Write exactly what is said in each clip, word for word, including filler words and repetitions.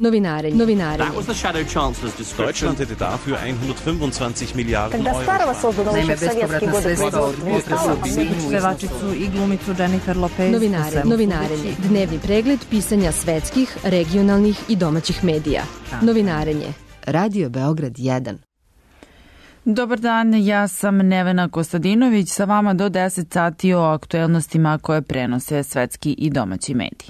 Novinarenje. Novinarenje. That was the shadow chancellor's description. Deutschland hätte dafür hundertfünfundzwanzig Milliarden Когда старого создано Naime, еще в советские bespovratna годы sredstva od производства. pevačicu i glumicu Jennifer Lopez. Novinare, novinarenje. Dnevni pregled pisanja svetskih, regionalnih i domaćih medija. Novinarenje. Radio Beograd jedan. Dobar dan, ja sam Nevena Kostadinović, sa vama do deset sati o aktuelnostima koje prenose svetski i domaći mediji.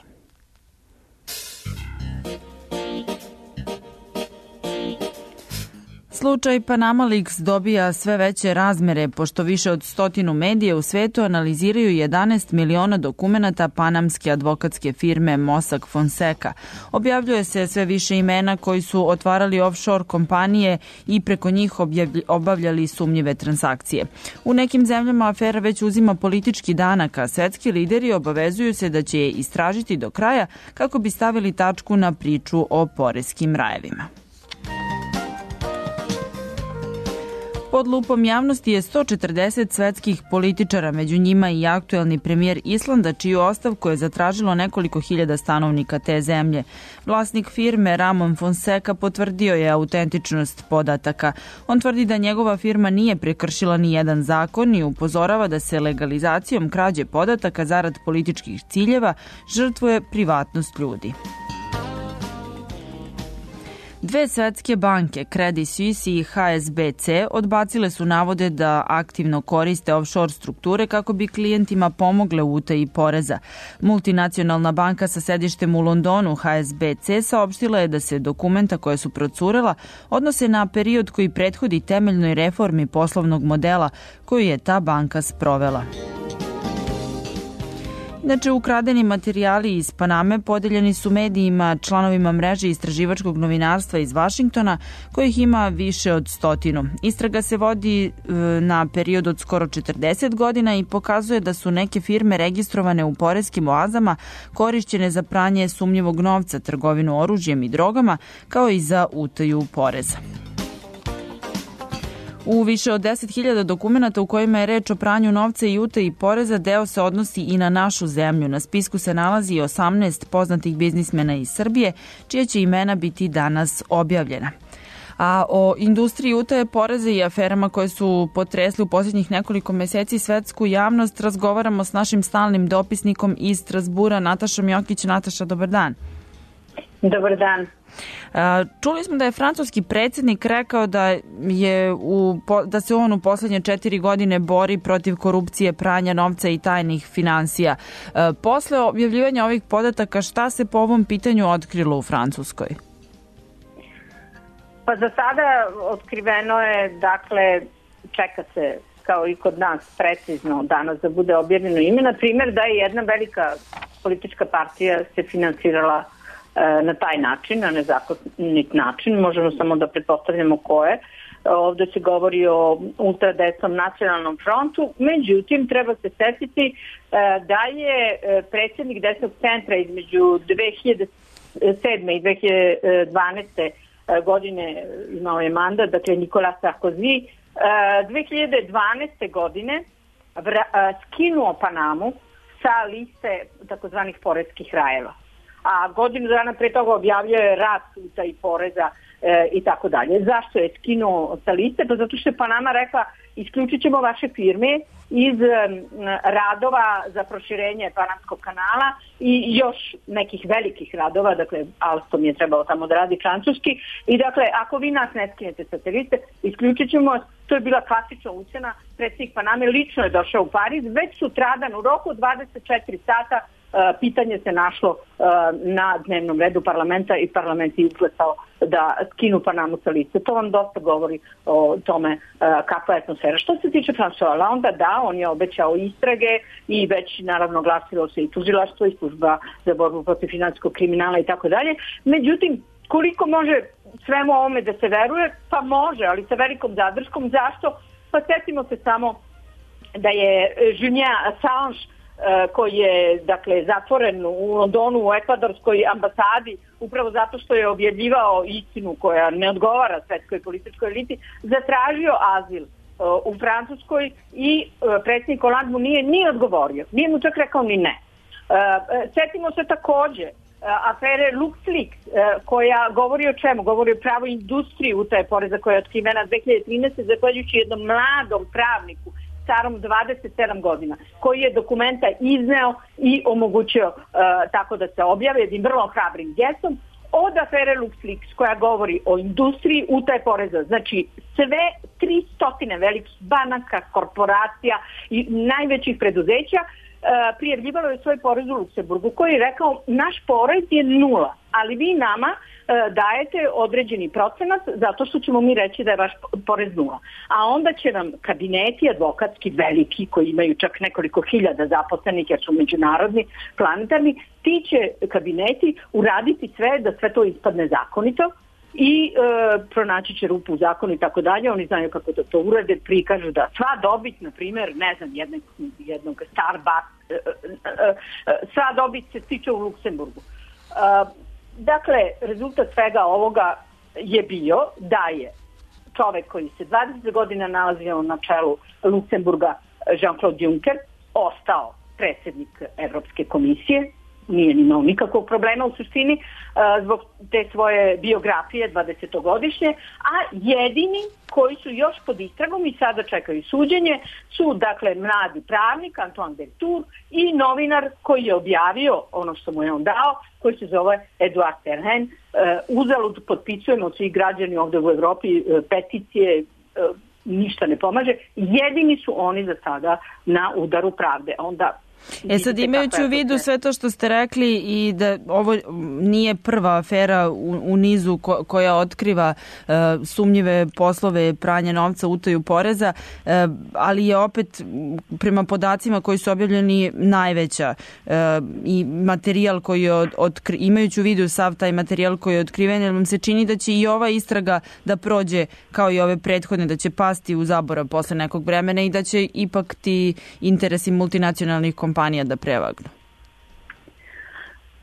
Slučaj Panama Leaks dobija sve veće razmere, pošto više od stotinu medija u svetu analiziraju jedanaest miliona dokumenata panamske advokatske firme Mossack Fonseca. Objavljuje se sve više imena koji su otvarali offshore kompanije i preko njih obavljali sumnjive transakcije. U nekim zemljama afera već uzima politički danak, a svetski lideri obavezuju se da će je istražiti do kraja kako bi stavili tačku na priču o poreskim rajevima. Pod lupom javnosti je sto četrdeset svetskih političara, među njima i aktuelni premijer Islanda, čiju ostavku je zatražilo nekoliko hiljada stanovnika te zemlje. Vlasnik firme Ramon Fonseca potvrdio je autentičnost podataka. On tvrdi da njegova firma nije prekršila ni jedan zakon i upozorava da se legalizacijom krađe podataka zarad političkih ciljeva žrtvuje privatnost ljudi. Dve svetske banke, Credit Suisse i H S B C, odbacile su navode da aktivno koriste offshore strukture kako bi klijentima pomogle u utaji poreza. Multinacionalna banka sa sedištem u Londonu, H S B C, saopštila je da se dokumenta koje su procurela odnose na period koji prethodi temeljnoj reformi poslovnog modela koju je ta banka sprovela. Inače, ukradeni materijali iz Paname podeljeni su medijima, članovima mreže istraživačkog novinarstva iz Vašingtona, kojih ima više od stotinu. Istraga se vodi na period od skoro četrdeset godina i pokazuje da su neke firme registrovane u poreskim oazama korišćene za pranje sumnjivog novca, trgovinu oružjem i drogama, kao i za utaju poreza. U više od deset hiljada dokumenata u kojima je reč o pranju novca i utaji poreza, deo se odnosi i na našu zemlju. Na spisku se nalazi i osamnaest poznatih biznismena iz Srbije, čija će imena biti danas objavljena. A o industriji utaje poreza i aferama koje su potresli u posljednjih nekoliko meseci svetsku javnost razgovaramo s našim stalnim dopisnikom iz Strazbura, Natašom Jokić. Nataša, dobar dan. Dobar dan. Čuli smo da je francuski predsjednik rekao da, je u, da se on u posljednje četiri godine bori protiv korupcije, pranja novca i tajnih finansija. Posle objavljivanja ovih podataka, šta se po ovom pitanju otkrilo u Francuskoj? Pa za sada otkriveno je, dakle, čeka se kao i kod nas precizno danas da bude objavljeno ime. Na primjer, da je jedna velika politička partija se finansirala na taj način, na nezakonit način, možemo samo da pretpostavljamo ko je. Ovde se govori o ultradesnom nacionalnom frontu, međutim treba se setiti da je predsjednik desnog centra između dve hiljade sedme i dve hiljade dvanaeste godine imao je mandat, dakle Nicolas Sarkozy, dve hiljade dvanaeste godine skinuo Panamu sa liste takozvanih poreskih rajeva. A godinu dana pre toga objavljao je rat utaji poreza e, i tako dalje. Zašto je skinuo sa liste? Pa zato što je Panama rekla isključit ćemo vaše firme iz um, radova za proširenje Panamskog kanala i još nekih velikih radova, dakle Alstom je trebao tamo da radi francuski i dakle ako vi nas ne skinete sa te liste, isključit ćemo. To je bila klasična ucena. Predsjednik Paname lično je došao u Pariz, već sutradan u roku dvadeset četiri sata pitanje se našlo na dnevnom redu parlamenta i parlament je izglasao da skinu Panamu sa liste. To vam dosta govori o tome kakva je atmosfera. Što se tiče François Hollande, da, on je obećao istrage i već naravno glasilo se i tužilaštvo i služba za borbu protiv finansijskog kriminala i tako dalje. Međutim, koliko može svemu ovome da se veruje? Pa može, ali sa velikom zadrškom. Zašto? Pa setimo se samo da je Julian Assange koji je dakle zatvoren u Londonu u ekvadorskoj ambasadi upravo zato što je objavljivao istinu koja ne odgovara svetskoj političkoj eliti, zatražio azil u Francuskoj i predsjednik Hollande mu nije ni odgovorio, nije mu čak rekao ni ne. Setimo se takođe afere LuxLeaks, koja govori o čemu? Govori o pravo industriji utaje poreza koja je otkrivena dve hiljade trinaeste. zahvaljujući jednom mladom pravniku starom dvadeset sedam godina, koji je dokumenta izneo i omogućio uh, tako da se objave jednim vrlo hrabrim gestom, od afere LuxLeaks koja govori o industriji utaje poreza. Znači sve tristo velikih banaka, korporacija i najvećih preduzeća uh, prijavljivalo je svoj porez u Luksemburgu, koji je rekao naš porez je nula, ali vi nama uh, dajete određeni procenat zato što ćemo mi reći da je vaš porez nula. A onda će nam kabineti advokatski veliki, koji imaju čak nekoliko hiljada zaposlenih jer su međunarodni, planetarni, ti će kabineti uraditi sve da sve to ispadne zakonito i e, pronaći će rupu u zakonu i tako dalje. Oni znaju kako da to urade, prikažu da sva dobit, na primjer, ne znam, jednog, jednog Starbucks, e, e, e, sva dobit se stiče u Luksemburgu. E, dakle, rezultat svega ovoga je bio da je čovek koji se dvadeset godina nalazio na čelu Luksemburga, Jean-Claude Juncker, ostao predsjednik Evropske komisije, nije imao nikakvog problema u suštini uh, zbog te svoje biografije dvadesetogodišnje, a jedini koji su još pod istragom i sada čekaju suđenje su dakle mladi pravnik Antoine Deltour i novinar koji je objavio ono što mu je on dao, koji se zove Eduard Terhen. Uh, uzalud potpisujemo svi građani ovdje u Evropi uh, peticije, uh, ništa ne pomaže. Jedini su oni za sada na udaru pravde. Onda E sad, imajući u vidu sve to što ste rekli i da ovo nije prva afera u, u nizu ko, koja otkriva uh, sumnjive poslove pranja novca, utaju poreza, uh, ali je opet prema podacima koji su objavljeni najveća uh, i materijal koji je od, otkri, imajući u vidu sav taj materijal koji je otkriven, jer vam se čini da će i ova istraga da prođe kao i ove prethodne, da će pasti u zaborav posle nekog vremena i da će ipak ti interesi multinacionalnih kompanija kompanija da prevagnu?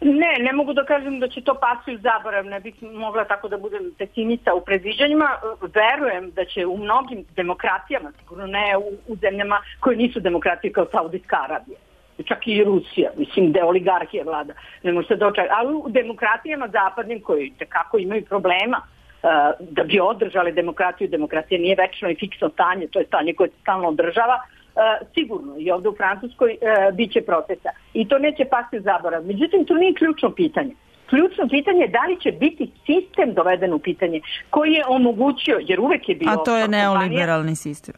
Ne, ne mogu da kažem da će to pasti u zaborav, ne bih mogla tako da budem pesimista u predviđanjima. Verujem da će u mnogim demokratijama, sigurno ne u, u zemljama koje nisu demokratije kao Saudijska Arabija, čak i Rusija, mislim da je oligarhija vlada, ne može se dočekati, ali u demokratijama zapadnim koji tekako imaju problema uh, da bi održali demokratiju, demokratija nije večno i fiksno stanje, to je stanje koje se stalno održava, Uh, sigurno i ovdje u Francuskoj uh, bit će procesa i to neće pasti u zaborav. Međutim, to nije ključno pitanje. Ključno pitanje je da li će biti sistem doveden u pitanje koji je omogućio, jer uvek je bio... A to je neoliberalni sistem.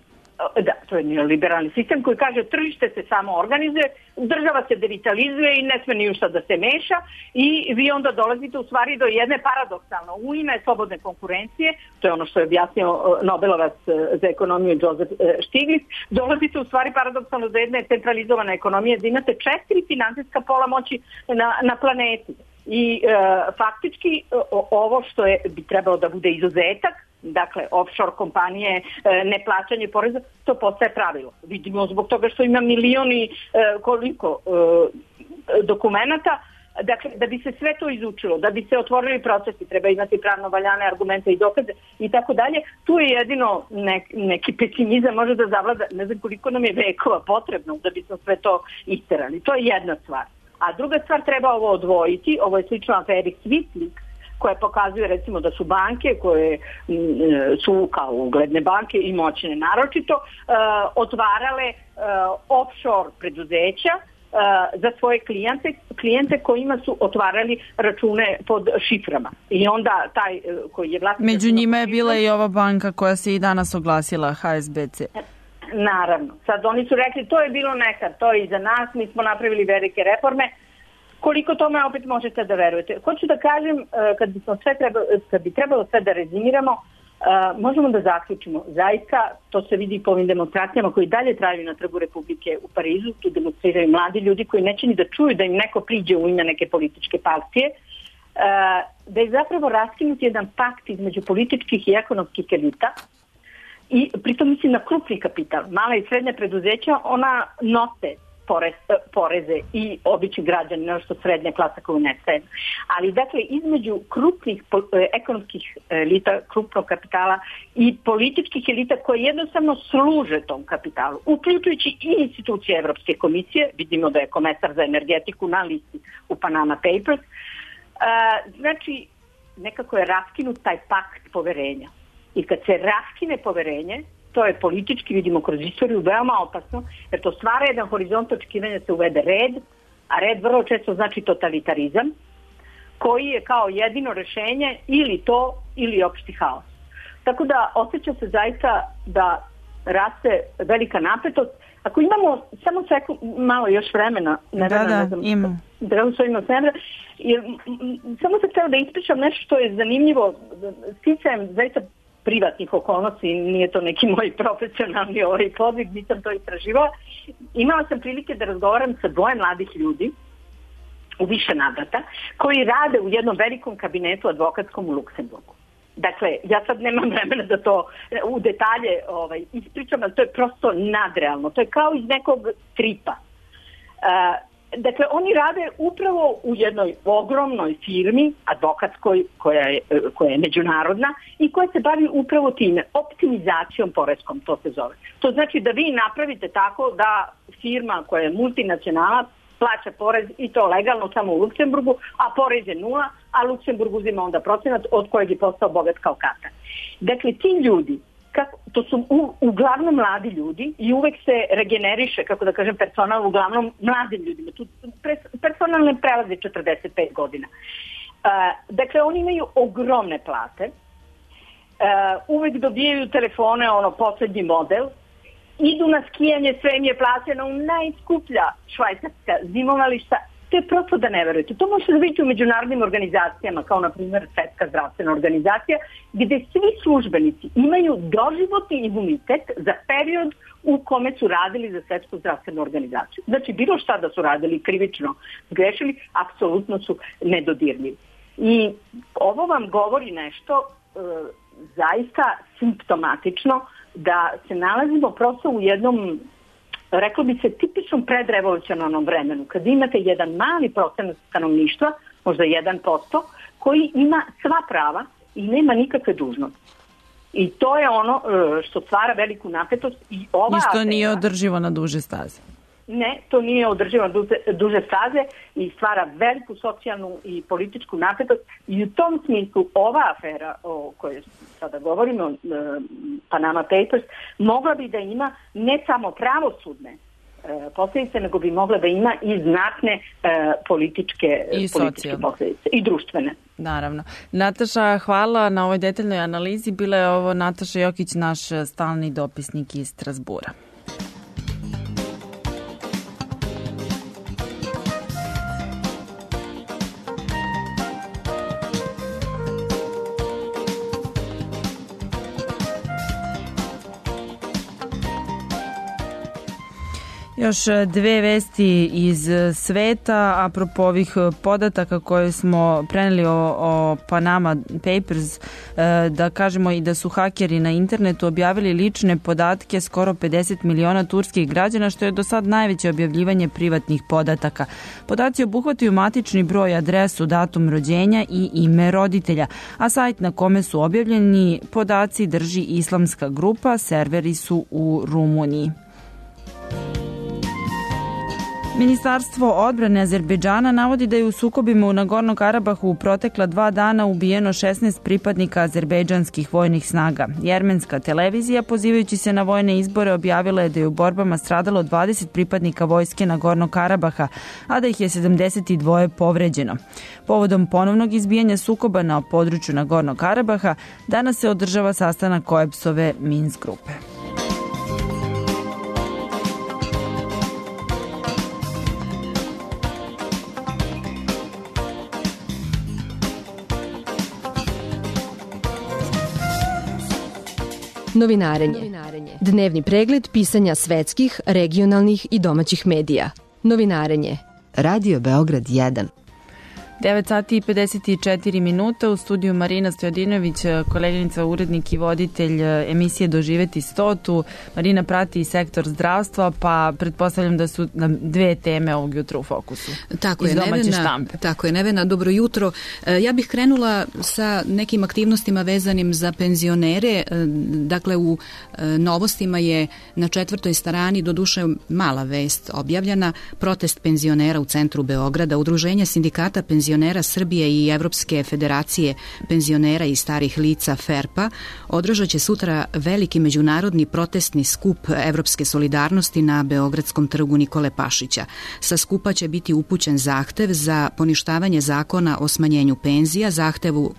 Da, to je neoliberalni sistem koji kaže tržište se samo organizuje, država se devitalizuje i ne sme ni u šta da se meša i vi onda dolazite u stvari do jedne paradoksalno. U ime slobodne konkurencije, to je ono što je objasnio Nobelovac za ekonomiju Joseph Stiglitz, dolazite u stvari paradoksalno do jedne centralizovane ekonomije da imate četiri finansijska pola moći na, na planeti. I e, faktički o, ovo što je bi trebalo da bude izuzetak, dakle offshore kompanije, neplaćanje poreza, to postaje pravilo. Vidimo zbog toga što ima milioni koliko dokumenata, dakle da bi se sve to izučilo, da bi se otvorili procesi, treba imati pravno valjane argumente i dokaze i tako dalje. Tu je jedino nek, neki pesimizam može da zavlada, ne znam koliko nam je vekova potrebno da bi smo sve to isterali. To je jedna stvar. A druga stvar, treba ovo odvojiti, ovo je slično aferi SwissLeaks, koje pokazuje recimo da su banke koje m, su kao ugledne banke i moćne naročito uh, otvarale uh, offshore preduzeća uh, za svoje klijente, klijente kojima su otvarali račune pod šiframa. I onda taj uh, koji je vlasnik... Među njima je bila i ova banka koja se i danas oglasila, H S B C. Naravno. Sad oni su rekli to je bilo nekad, to je iza nas, mi smo napravili velike reforme. Koliko tome opet možete da verujete? Hoću da kažem, kad bi, sve trebalo, kad bi trebalo sve da rezimiramo, možemo da zaključimo. Zaista, to se vidi po ovim demonstracijama koji dalje traju na Trgu Republike u Parizu, tu demonstriraju mladi ljudi koji neće ni da čuju da im neko priđe u ime neke političke partije, da je zapravo raskinut jedan pakt između političkih i ekonomskih elita. I pritom mislim na krupni kapital. Mala i srednja preduzeća, ona nose porez, poreze i obični građani, nešto što srednja klasa koju nestaje. Ali dakle, između krupnih ekonomskih elita, krupnog kapitala i političkih elita koje jednostavno služe tom kapitalu, uključujući i institucije Evropske komisije, vidimo da je komesar za energetiku na listi u Panama Papers, znači, nekako je raskinut taj pakt poverenja. I kad se raskine poverenje, to je politički, vidimo kroz istoriju, veoma opasno, jer to stvara jedan horizont očekivanja, se uvede red, a red vrlo često znači totalitarizam, koji je kao jedino rešenje ili to, ili opšti haos. Tako da osjeća se zaista da raste velika napetost. Ako imamo samo sekund, malo još vremena, ne da, da, ne znam, imam. Da, imam vremena, jer, samo sam htjela da ispričam nešto što je zanimljivo, sticajem zaista privatnih okolnosti, nije to neki moj profesionalni ovaj podvig, nisam to istraživala. Imala sam prilike da razgovaram sa dvoje mladih ljudi u više navrata, koji rade u jednom velikom kabinetu advokatskom u Luksemburgu. Dakle, ja sad nemam vremena da to u detalje ovaj, ispričam, ali to je prosto nadrealno. To je kao iz nekog tripa. Uh, dakle, oni rade upravo u jednoj ogromnoj firmi, advokatskoj, koja je, koja je međunarodna i koja se bavi upravo time, optimizacijom poreskom, to se zove. To znači da vi napravite tako da firma koja je multinacionalna plaća porez i to legalno samo u Luksemburgu, a porez je nula, a Luksemburg uzima onda procenat od kojeg je postao bogat kao Katar. Dakle, ti ljudi, kako, to su u, uglavnom mladi ljudi i uvek se regeneriše, kako da kažem, personal uglavnom mladim ljudima. Tu personal ne prelazi četrdeset pet godina. Uh, dakle, oni imaju ogromne plate, uh, uvek dobijaju telefone, ono, poslednji model, idu na skijanje, sve im je plaćeno u najskuplja švajcarska zimovališta. To je prosto da ne verujete. To možete da vidite u međunarodnim organizacijama, kao na primjer Svetska zdravstvena organizacija, gde svi službenici imaju doživotni imunitet za period u kome su radili za Svetsku zdravstvenu organizaciju. Znači, bilo šta da su radili krivično zgrešili, apsolutno su nedodirljivi. I ovo vam govori nešto e, zaista simptomatično, da se nalazimo prosto u jednom, reklo bi se, tipičnom predrevolucionarnom vremenu, kad imate jedan mali procenat stanovništva, možda jedan posto, koji ima sva prava i nema nikakve dužnosti. I to je ono što stvara veliku napetost. I, ova I što afera, nije održivo na duže staze. Ne, to nije održivo na duže, duže staze i stvara veliku socijalnu i političku napetost. I u tom smislu ova afera o kojoj sada govorimo, Panama Papers, mogla bi da ima ne samo pravosudne posljedice, nego bi mogla da ima i znatne e, političke, I političke posljedice i društvene. Naravno. Nataša, hvala na ovoj detaljnoj analizi. Bila je ovo Nataša Jokić, naš stalni dopisnik iz Strasbura. Još dve vesti iz sveta, apropo ovih podataka koje smo preneli o, o Panama Papers, da kažemo i da su hakeri na internetu objavili lične podatke skoro pedeset miliona turskih građana, što je do sad najveće objavljivanje privatnih podataka. Podaci obuhvataju matični broj, adresu, datum rođenja i ime roditelja, a sajt na kome su objavljeni podaci drži islamska grupa, serveri su u Rumuniji. Ministarstvo odbrane Azerbejdžana navodi da je u sukobima u Nagorno Karabahu u protekla dva dana ubijeno šesnaest pripadnika azerbejdžanskih vojnih snaga. Jermenska televizija, pozivajući se na vojne izbore, objavila je da je u borbama stradalo dvadeset pripadnika vojske Nagornog Karabaha, a da ih je sedamdeset dva povređeno. Povodom ponovnog izbijanja sukoba na području Nagornog Karabaha, danas se održava sastanak Koepsove Minsk grupe. Novinarenje. Dnevni pregled pisanja svetskih, regionalnih i domaćih medija. Novinarenje. Radio Beograd jedan. devet sati i pedeset četiri minuta, u studiju Marina Stojadinović, koleginica, urednik i voditelj emisije Doživeti stotu. Marina prati sektor zdravstva, pa pretpostavljam da su nam dve teme ovog jutra u fokusu. Tako iz je, domaće Nevena, štampe. Tako je, Nevena, dobro jutro. Ja bih krenula sa nekim aktivnostima vezanim za penzionere. Dakle, u novostima je na četvrtoj strani, doduše mala vest objavljena, protest penzionera u centru Beograda, Udruženja sindikata penzionera penzionera Srbije i Evropske federacije penzionera i starih lica FERPA održat će sutra veliki međunarodni protestni skup Evropske solidarnosti na Beogradskom trgu Nikole Pašića. Sa skupa će biti upućen zahtev za poništavanje zakona o smanjenju penzija, zahtevu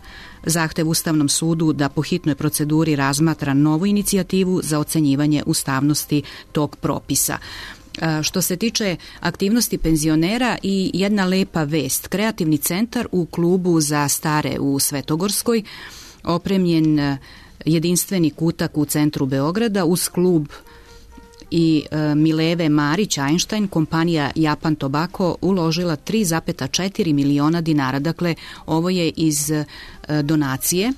zahtev Ustavnom sudu da po hitnoj proceduri razmatra novu inicijativu za ocenjivanje ustavnosti tog propisa. Što se tiče aktivnosti penzionera i jedna lepa vest. Kreativni centar u klubu za stare u Svetogorskoj, opremljen jedinstveni kutak u centru Beograda uz klub i e, Mileve Marić Einstein, kompanija Japan Tobacco uložila tri zarez četiri miliona dinara. Dakle, ovo je iz e, donacije,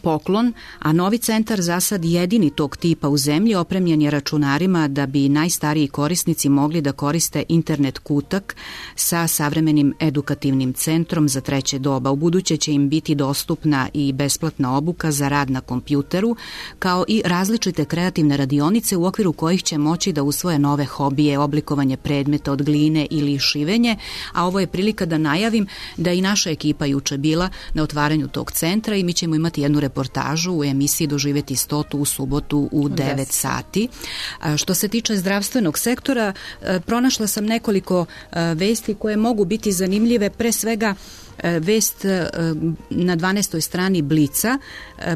poklon, a novi centar za sad jedini tog tipa u zemlji opremljen je računarima da bi najstariji korisnici mogli da koriste internet kutak sa savremenim edukativnim centrom za treće doba. U buduće će im biti dostupna i besplatna obuka za rad na kompjuteru, kao i različite kreativne radionice u okviru kojih će moći da usvoje nove hobije, oblikovanje predmeta od gline ili šivenje, a ovo je prilika da najavim da i naša ekipa juče bila na otvaranju tog centra i mi ćemo imati jednu reportažu u emisiji Doživeti stotu u subotu u devet sati. Što se tiče zdravstvenog sektora, pronašla sam nekoliko vesti koje mogu biti zanimljive, pre svega vest na dvanaestoj strani Blica,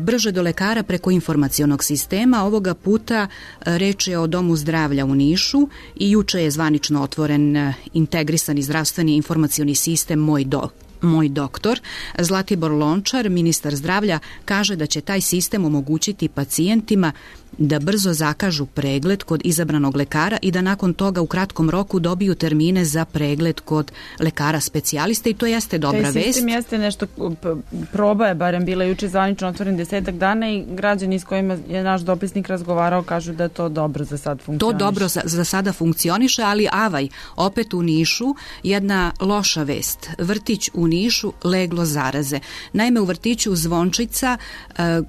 brže do lekara preko informacionog sistema. Ovoga puta reč je o Domu zdravlja u Nišu i juče je zvanično otvoren integrisani zdravstveni informacioni sistem Moj do Moj doktor. Zlatibor Lončar, ministar zdravlja, kaže da će taj sistem omogućiti pacijentima da brzo zakažu pregled kod izabranog lekara i da nakon toga u kratkom roku dobiju termine za pregled kod lekara specijalista i to jeste dobra vest. Taj sistem jeste nešto, proba je barem bila juče zvanično otvoren desetak dana i građani s kojima je naš dopisnik razgovarao kažu da to dobro za sad funkcioniše. To dobro za, za sada funkcioniše, ali avaj, opet u Nišu jedna loša vest. Vrtić u Nišu leglo zaraze. Naime, u vrtiću Zvončica,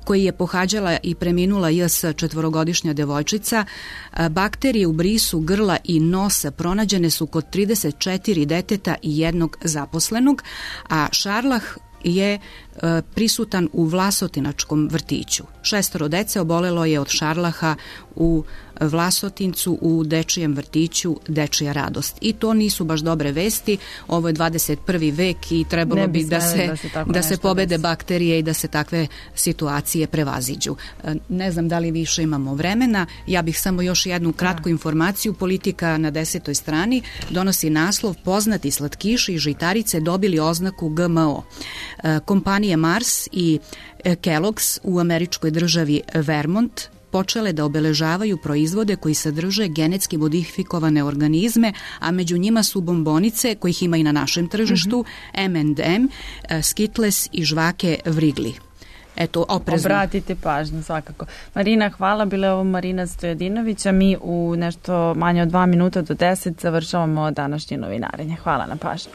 koji je pohađala i preminula J S četvorogodišnja devojčica, bakterije u brisu grla i nosa pronađene su kod trideset četiri deteta i jednog zaposlenog, a šarlah je prisutan u Vlasotinačkom vrtiću. Šestoro dece obolelo je od šarlaha u Vlasotincu u dečijem vrtiću Dečija radost. I to nisu baš dobre vesti. Ovo je dvadeset prvi vek i trebalo bi, bi da se, da se, da se pobede desi. bakterije i da se takve situacije prevaziđu. Ne znam da li više imamo vremena. Ja bih samo još jednu kratku informaciju. Politika na desetoj strani donosi naslov: poznati slatkiši i žitarice dobili oznaku G M O. Kompanije Mars i Kellogg's u američkoj državi Vermont počele da obeležavaju proizvode koji sadrže genetski modifikovane organizme, a među njima su bombonice, kojih ima i na našem tržištu, mm-hmm. em and em, Skittles i žvake Wrigley. Eto, oprezno. Obratite pažnju, svakako. Marina, hvala. Bila je ovo Marina Stojadinović, a mi u nešto manje od dva minuta do deset završavamo današnje novinarenje. Hvala na pažnju.